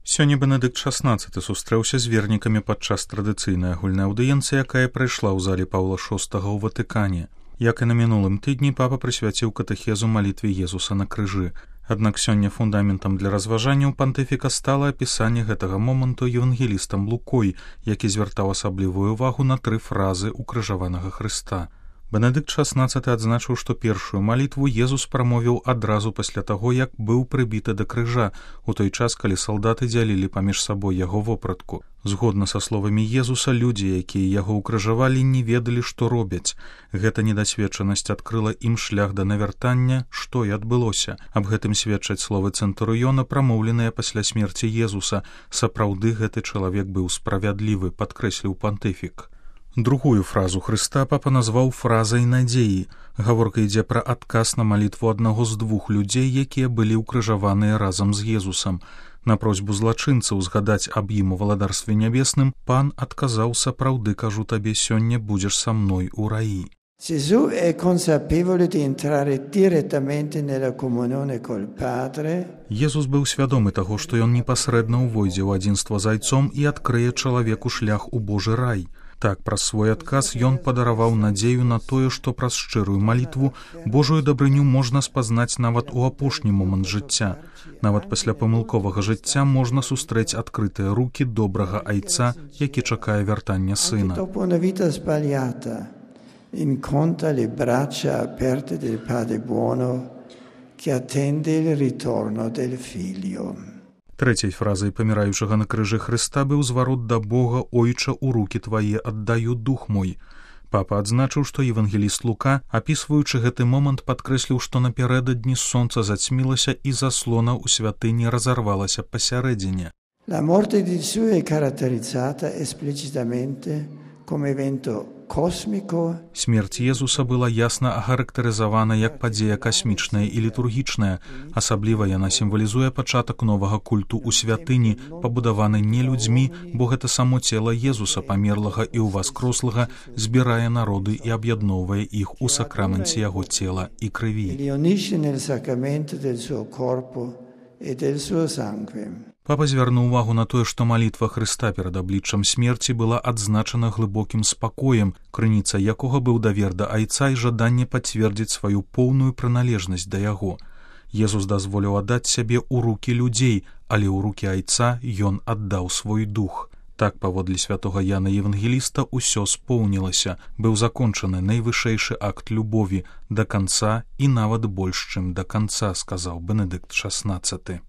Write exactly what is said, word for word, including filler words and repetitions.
Сёння Бенедыкт шаснаццаты сустрэўся з вернікамі падчас традыцыйнай агульнай аўдыенцыі, якая прайшла ў зале Паўла шостага ў Ватыкане. Як і на мінулым тыдні, папа прысвяціў катэхезу малітве Езуса на крыжы. Аднак сёння фундаментам для разважанняў пантыфіка стала апісанне гэтага моманту евангелістам Лукой, які звяртаў асаблівую ўвагу на тры фразы укрыжаванага Хрыста. Бенедыкт шаснаццаты адзначыў, што першую малітву Езус прамовіў адразу пасля таго, як быў прыбіты да крыжа, у той час, калі салдаты дзялілі паміж сабой яго вопратку. Згодна са словамі Езуса, людзі, якія яго ўкрыжавалі, не ведалі, што робяць. Гэта недасведчанасць адкрыла ім шлях да навяртання, што і адбылося. Аб гэтым сведчаць словы цэнтурыёна, прамоўленыя пасля смерці Езуса. Сапраўды гэты чалавек быў справядлівы, падкрэсліў пантыфік. Другую фразу Хрыста папа назваў фразай надзеі. Гаворка ідзе пра адказ на малітву аднаго з двух людзей, якія былі ўкрыжаваныя разам з Езусам. На просьбу злачынцаў згадаць аб ім у валадарстве нябесным, пан адказаў: «Сапраўды, кажу табе, сёння будзеш са мной у раі». Gesù è consapevole di entrare direttamente nella comunione col Padre. Езус быў свядомы таго, што ён непасрэдна ўвойдзе ў адзінства з Айцом і адкрые чалавеку шлях у Божы рай. Так, праз свой адказ ён падараваў надзею на тое, што праз шчырую малітву Божую дабрыню можна спазнаць нават у апошні момант жыцця. Нават пасля памылковага жыцця можна сустрэць адкрытыя рукі добрага Айца, які чакае вяртання сына. Dopo una vita sbagliata, incontra le braccia aperte del Padre buono che attende il ritorno del Figlio. Трэцяй фразай паміраючага на крыжы Хрыста быў зварот да Бога: «Ойча, у рукі твае аддаю дух мой». Папа адзначыў, што евангеліст Лука, апісваючы гэты момант, падкрэсліў, што напярэдадні сонца зацьмілася і заслона ў святыні разарвалася пасярэдзіне. La morte di Gesù è caratterizzata esplicitamente come evento cosmico. Смерць Езуса была ясна ахарактарызавана як падзея касмічная і літургічная. Асабліва яна сімвалізуе пачатак новага культу ў святыні, пабудаваны не людзьмі, бо гэта само цела Езуса, памерлага і ўваскрослага, збірае народы і аб'ядноўвае іх у сакраменце яго цела і крыві. Папа звярнуў увагу на тое, што малітва Хрыста перад абліччам смерці была адзначана глыбокім спакоем, крыніца якога быў давер да Айца і жаданне пацвердзіць сваю поўную прыналежнасць да яго. Езус дазволіў аддаць сябе ў рукі людзей, але ў рукі Айца ён аддаў свой дух. Так, паводле святога Яна Евангеліста, усё споўнілася, быў закончаны найвышэйшы акт любові да канца і нават больш, чым да канца, сказаў Бенедыкт шаснаццаты.